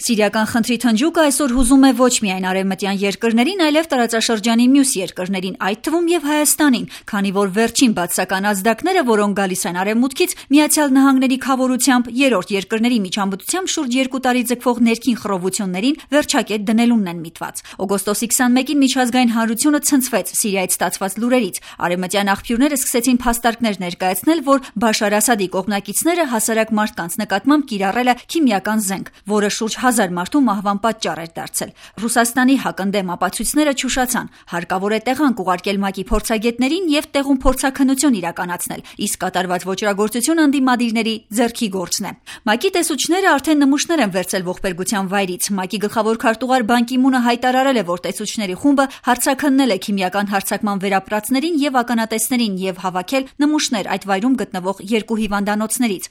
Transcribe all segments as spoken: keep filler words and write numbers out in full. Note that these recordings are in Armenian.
Սիրիական խնդրի թնջուկը այսօր հուզում է ոչ միայն արևմտյան երկրներին, այլև տարածաշրջանի մյուս երկրներին, այդ թվում եւ Հայաստանին, քանի որ վերջին բացասական ազդակները, որոնք գալիս են արևմուտքից, Միացյալ Նահանգների քավորությամբ երրորդ երկրների միջամտությամբ շուրջ երկու տարի ձգվող ներքին խռովություններին վերջակետ դնելունն են միտված։ Օգոստոսի քսանմեկին միջազգային հանրությունը ցնցվեց Սիրիայից ստացված լուրերից։ Արևմտյան աղբյուրները սկսեցին փաստարկներ ներկայացնել, որ Բաշար Ասադի կողմնակիցները հասարակ մարդկանց նկատմամբ կիրառել է քիմիական զենք, որը շուրջ հազար մարդու մահվան պատճառ էր դարձել։ Ռուսաստանի հակընդդեմ ապացույցները չուշացան։ Հարկավոր է տեղանք ուղարկել ՄԱԿ-ի փորձագետներին եւ տեղում փորձաքննություն իրականացնել, իսկ կատարված ոճրագործությունը ընդդիմադիրների ձեռքի գործն է։ ՄԱԿ-ի տեսուչները արդեն նմուշներ են վերցել ողբերգության վայրից։ ՄԱԿ-ի գլխավոր քարտուղար Բան Կի Մունը հայտարարել է, որ տեսուչների խումբը հարցաքննել է քիմիական հարձակման վերապրածներին եւ ականատեսներին եւ հավաքել նմուշներ այդ վայրում գտնվող երկու հիվանդանոցներից։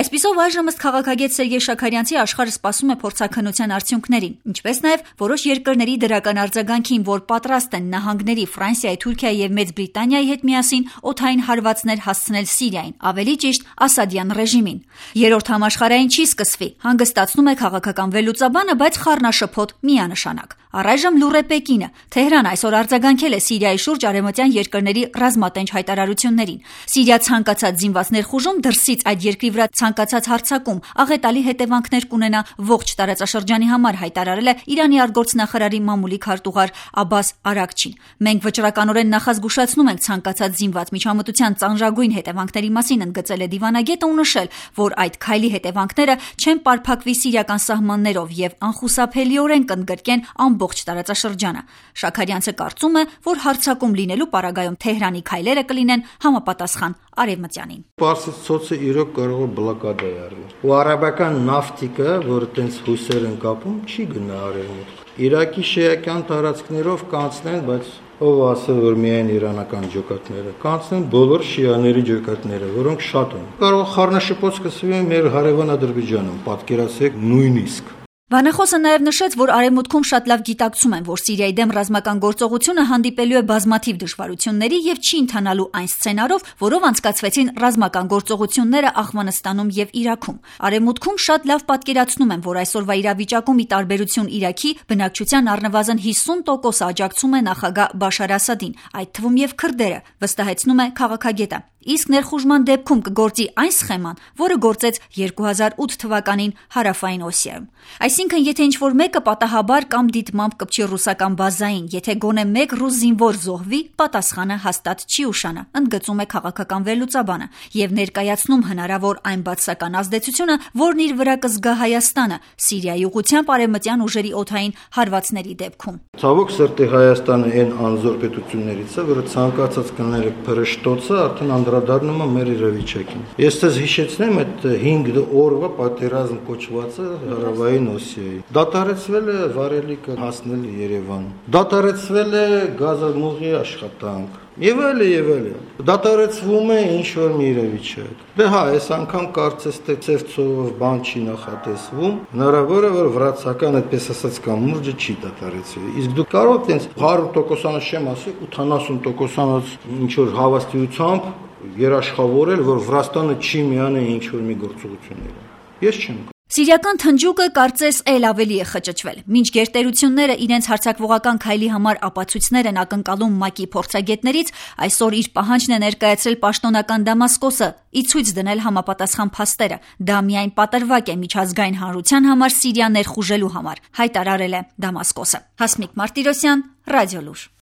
Այսպիսով այժմ ըստ քաղաքագետ Սերգեյ Շաքարյանցի աշխարհը սպասում է փորձաքննության արդյունքներին, ինչպես նաև որոշ երկրների դրական արձագանքին, որ պատրաստ են նահանգների, Ֆրանսիայի, Թուրքիայի եւ Մեծ Բրիտանիայի հետ միասին օդային հարվածներ հասցնել Սիրիային, ավելի ճիշտ Ասադյան ռեժիմին։ Երրորդ համաշխարհային չի սկսվի, հանգստացնում է քաղաքական վերլուծաբանը, բայց խառնաշփոթ միանշանակ։ Առայժմ լուռ է Պեկինը։ Թեհրան այսօր արձագանքել է Սիրիայի շուրջ արևմտյան երկրների ռազմատենչ հայտարարություններին։ Սիրիա ցանկացած զինված ներխուժում, դրսից այդ երկրի վրա ցանկացած հարձակում աղետալի հետևանքներ կունենա ողջ տարածաշրջանի համար, հայտարարել է Իրանի արտգործնախարարի մամուլի քարտուղար Աբբաս Արաքչին։ Մենք վճռականորեն նախազգուշացնում ենք ցանկացած զինված միջամտության ծանրագույն հետևանքների մասին, ընդգծել է դիվանագետը ու նշել, որ այդ քայլի հետևանքները չեն պարփակվի սիրիական սահմաններով եւ անխուսափելիորեն կընդգրկեն ամբողջ տարածաշրջանը։ Շաքարյանցը կարծում է, որ հարձակում լինելու պարագայում Թեհրանի քայլերը կլինեն համապատասխան արևմտյանին։ Պարսից ծոցը իրոք կարող է բլոկադա արել։ Ու արաբական նավթիկը, որը տենց հույսեր են կապում, չի գնա արևմուտք։ Իրաքի շիական տարածքներով կանցնեն, բայց ով ասել, որ միայն իրանական ջոկատները, կանցնեն բոլոր շիաների ջոկատները, որոնք շատ են։ Կարող խառնաշփոթ սկսվի մեր հարևան Ադրբեջանում, պատկերացրեք նույնիսկ։ Բանախոսը նաև նշեց, որ արևմուտքում շատ լավ գիտակցում են, որ Սիրիայի դեմ ռազմական գործողությունը հանդիպելու է բազմաթիվ դժվարությունների եւ չի ընթանալու այն սցենարով, որով անցկացվեցին ռազմական գործողությունները Աֆղանստանում եւ Իրաքում։ Արևմուտքում շատ լավ պատկերացնում են, որ այսօրվա իրավիճակում ի տարբերություն Իրաքի, բնակչության առնվազն հիսուն տոկոս աջակցում է նախագահ Բաշար Ասադին, այդ թվում եւ քրդերը, վստահեցնում է քաղաքագետը։ Իսկ ներխուժման դեպքում կգործի այն սխեման, որը գործեց երկու հազար ութ թվականին Հարավային Օսիայում։ Այսինքն, եթե ինչ-որ մեկը պատահաբար կամ դիտմամբ կպչի ռուսական բազային, եթե գոնե մեկ ռուս զինվոր զոհվի, պատասխանը հաստատ չի ուշանա, ընդգծում է քաղաքական վերլուծաբանը եւ ներկայացնում հնարավոր այն բացասական ազդեցությունը, որն իր վրա կզգա Հայաստանը Սիրիայի ուղղությամբ արևմտյան ուժերի օդային հարվածների դեպքում։ Ցավոք սրտի Հայաստանը այն անզոր պետություններից է, որը ցանկացած կներեք փրշտոցը արդեն անդրադառնում է մեր իրավիճակին։ Ես ցեզ հիշեցնեմ այդ հինգ օրվա պատերազմ կոչվածը Հարավային Օսիայի։ Դադարեցվել է վարելիքը հասնել Երևան։ Դադարեցվել է գազամուղի աշխատանք։ Եվ այլ եւ այլ։ Դադարեցվում է ինչ-որ մի իրավիճակ։ Դե հա, այս անգամ կարծես թե ծևծով բան չի նախատեսվում։ Հնարավոր է, որ վրացական այդպես ասած կամուրջը չի դադարեցվի։ Իսկ դուք կարող եք տենց հարյուր տոկոսանոց չեմ ասի, ութանասուն տոկոսանոց ինչ-որ հավաստիությամբ երաշխավորել, որ Վրաստանը չի միանա ինչ-որ մի գործողությունների։ Ես չեմ։ Սիրիական թնջուկը կարծես էլ ավելի է խճճվել։ Մինչ գերտերությունները իրենց հարձակվողական քայլի համար ապացույցներ են ակնկալում ՄԱԿ-ի փորձագետներից, այսօր իր պահանջն է ներկայացրել պաշտոնական Դամասկոսը՝ ի ցույց դնել համապատասխան փաստերը։ Դա միայն պատրվակ է միջազգային հանրության համար Սիրիա ներխուժելու համար, հայտարարել է Դամասկոսը։ Հասմիկ Մարտիրոսյան, Ռադիոլուր։